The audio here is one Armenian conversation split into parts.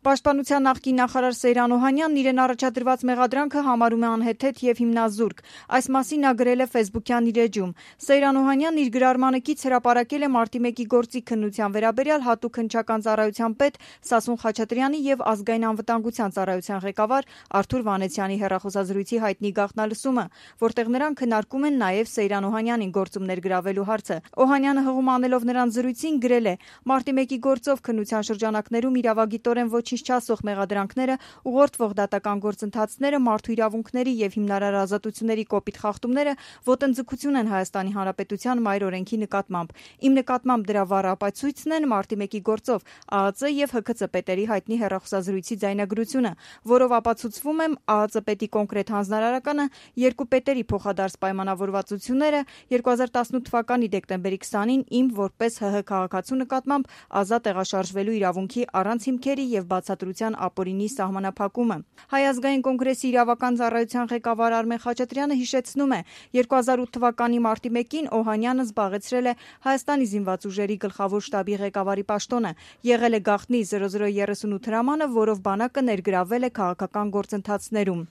Պաշտպանության նախկին նախարար Սեյրան Օհանյանն իրեն առաջադրված մեղադրանքը համարում է անհեթեթ եւ հիմնազուրկ։ Այս մասին նա գրել է Facebook-յան իր էջում։ Սեյրան Օհանյանն իր գրառմանը կից հրապարակել է մարտի 1-ի գործի քննության վերաբերյալ հատուկ հնչական ծառայության պետ Սասուն Խաչատրյանի եւ ազգային անվտանգության ծառայության ղեկավար Արթուր Վանեցյանի հեռախոսազրույցի հայտնի գաղտնալսումը, որտեղ նրանք քննարկում են նաեւ Սեյրան Օհանյանին գործում ներգրավելու հարցը։ Օհանյանը հղում անելով նրան զրույցին գրել է. «Մարտի 1-ի գործով քննության շրջանակներում իրավագիտորեն ոչինչ չասող մեղադրանքները, ուղղորդվող դատական գործընթացները, մարդու իրավունքների եւ հիմնարար ազատությունների կոպիտ խախտումները ոտնձգություն են Հայաստանի Հանրապետության մայր օրենքի նկատմամբ։ Իմ նկատմամբ դրա վառ ապացույցն են մարտի 1-ի գործով ԱԱԾ եւ ՀՔՑ պետերի հայտնի հեռախոսազրույցի ձայնագրությունը, որով ապացուցվում եմ ԱԱԾ պետի կոնկրետ հանձնարարականը, երկու պետերի փոխադարձ պայմանավորվածությունները 2018 թվականի դեկտեմբերի 20-ին իմ որպես ՀՀ քաղաքացու նկատմամբ ազատ տեղաշարժվելու իրավունքի առանց հիմքերի եւ բացատրության ապօրինի սահմանափակումը»։ Հայ ազգային կոնգրեսի իրավական ծառայության ղեկավար Արմեն Խաչատրյանը հիշեցնում է. 2008 թվականի մարտի 1-ին Օհանյանը զբաղեցրել է Հայաստանի զինված ուժերի գլխավոր շտաբի ղեկավարի պաշտոնը, եղել է գաղտնի 0038 հրամանը, որով բանակը ներգրավվել է քաղաքական գործընթացներում։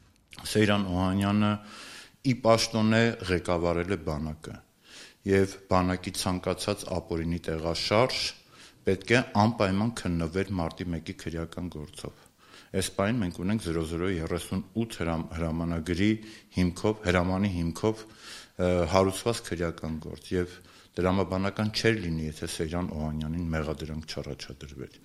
Սեյրան Օհանյանը ի պաշտոն է ղեկավարել է բանակը եւ բանակի ցանկացած ապօրինի տեղաշարժ պետք է անպայման քննվեր մարտի 1-ի քրեական գործով։ Այս պահին մենք ունենք 0038 հրամանագրի հրամանի հիմքով հարուցված քրեական գործ եւ դրամաբանական չէր լինի, եթե Սեյրան Օհանյանին մեղադրանք չառաջադրվեր։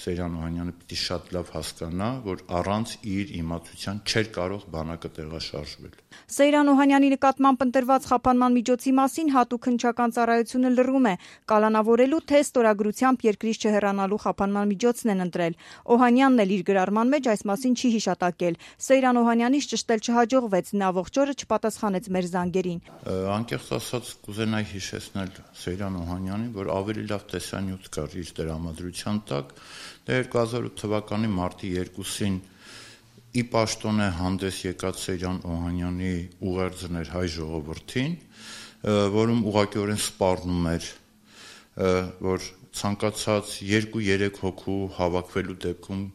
Սեյրան Օհանյանը պիտի շատ լավ հասկանա, որ առանց իր իմացության չէր կարող բանակը տեղաշարժվել։ Սեյրան Օհանյանի նկատմամբ ընտրված խափանման միջոցի մասին հատուկ հնչական ծառայությունը լռում է, կալանավորելու թե ստորագրությամբ երկրից չհեռանալու խափանման միջոցն են ընտրել։ Օհանյանն էլ իր գրառման մեջ այս մասին չի հիշատակել։ Սեյրան Օհանյանից ճշտել չհաջողվեց, նա ողջ օրը չպատասխանեց մեր զանգերին։ Անկեղծ ասած կուզենայի հիշեցնել Սեյրան Օհանյանին, որ ավելի լավ տեսանյութ կար իր տրամադրության տակ։ 2008 թվականի մարտի 2-ին ի պաշտոն է հանդես եկած Սեյրան Օհանյանի ուղերձն էր հայ ժողովրդին, որում ուղղակիորեն սպառնում էր, որ ցանկացած 2-3 հոգու հավաքվելու դեպքում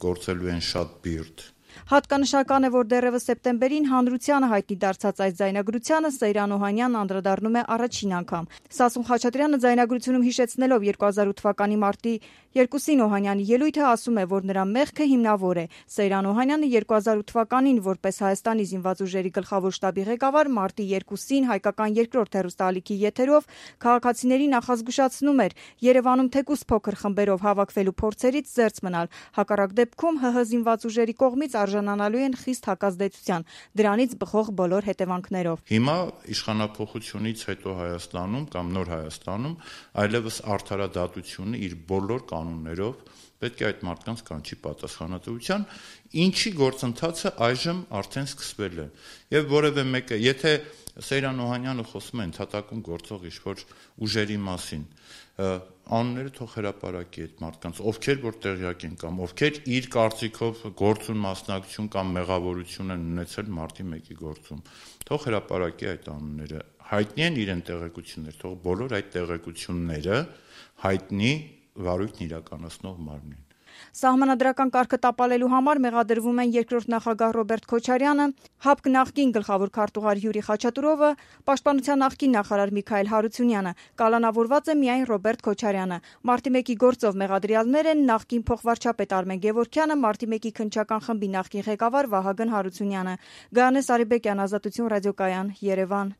գործելու են շատ բիրտ։ Հատկանշական է, որ դեռևս սեպտեմբերին հանրությանը հայտնի դարձած այս ձայնագրությանը Սեյրան Օհանյանն անդրադառնում է առաջին անգամ։ Սասուն Խաչատրյանը ձայնագրությունում հիշեցնելով 2008 թվականի մարտի 2-ին Օհանյանի ելույթը ասում է, որ նրա մեղքը հիմնավոր է։ Սեյրան Օհանյանը 2008 թվականին որպես Հայաստանի զինված ուժերի գլխավոր շտաբի ղեկավար մարտի 2-ին հայկական երկրորդ հեռուստաալիքի եթերով քաղաքացիների նախազգուշացնում էր Երևանում թեկուզ փոքր խմբերով հավաքվելու փորձերից զերծ մնալ։ Հակառակ դեպքում ՀՀ զինված ուժերի կողմից արժանանալու են խիստ հակազդեցության, դրանից բխող բոլոր հետևանքներով։ Հիմա իշխանափոխությունից հետո Հայաստանում կամ նոր Հայաստանում այլևս արդարադատությունը իր բոլոր կանոններով պետք է այդ մարդկանց կանչի պատասխանատվության, ինչի գործընթացը այժմ արդեն սկսվել է։ Եվ որևէ մեկը, եթե Սեյրան Օհանյանը խոսում է ընդհատակում գործող ինչ-որ ուժերի մասին, անունները թող հրապարակի այդ մարդկանց, ովքեր որ տեղյակ են կամ ովքեր իր կարծիքով գործուն մասնակցություն կամ մեղավորություն են ունեցել մարտի 1-ի գործում, թող հրապարակի այդ անունները, հայտնի են իրեն տեղեկություններ, թող բոլոր այդ տեղեկությունները հայտնի վարույթն իրականացնող մարմնին։ Սահմանադրական կարգը տապալելու համար մեղադրվում են երկրորդ նախագահ Ռոբերտ Քոչարյանը, ՀԱՊԿ նախկին գլխավոր քարտուղար Յուրի Խաչատուրովը, Պաշտպանության նախկին նախարար Միքայել Հարությունյանը։ Կալանավորված է միայն Ռոբերտ Քոչարյանը։ Մարտի 1-ի գործով մեղադրյալներ են նախկին փոխվարչապետ Արմեն Գևորգյանը, Մարտի 1-ի քննչական խմբի նախկին ղեկավար Վահագն Հարությունյանը։ Գայանե Սարիբեկյան, Ազատություն ռադիոկայան, Երևան։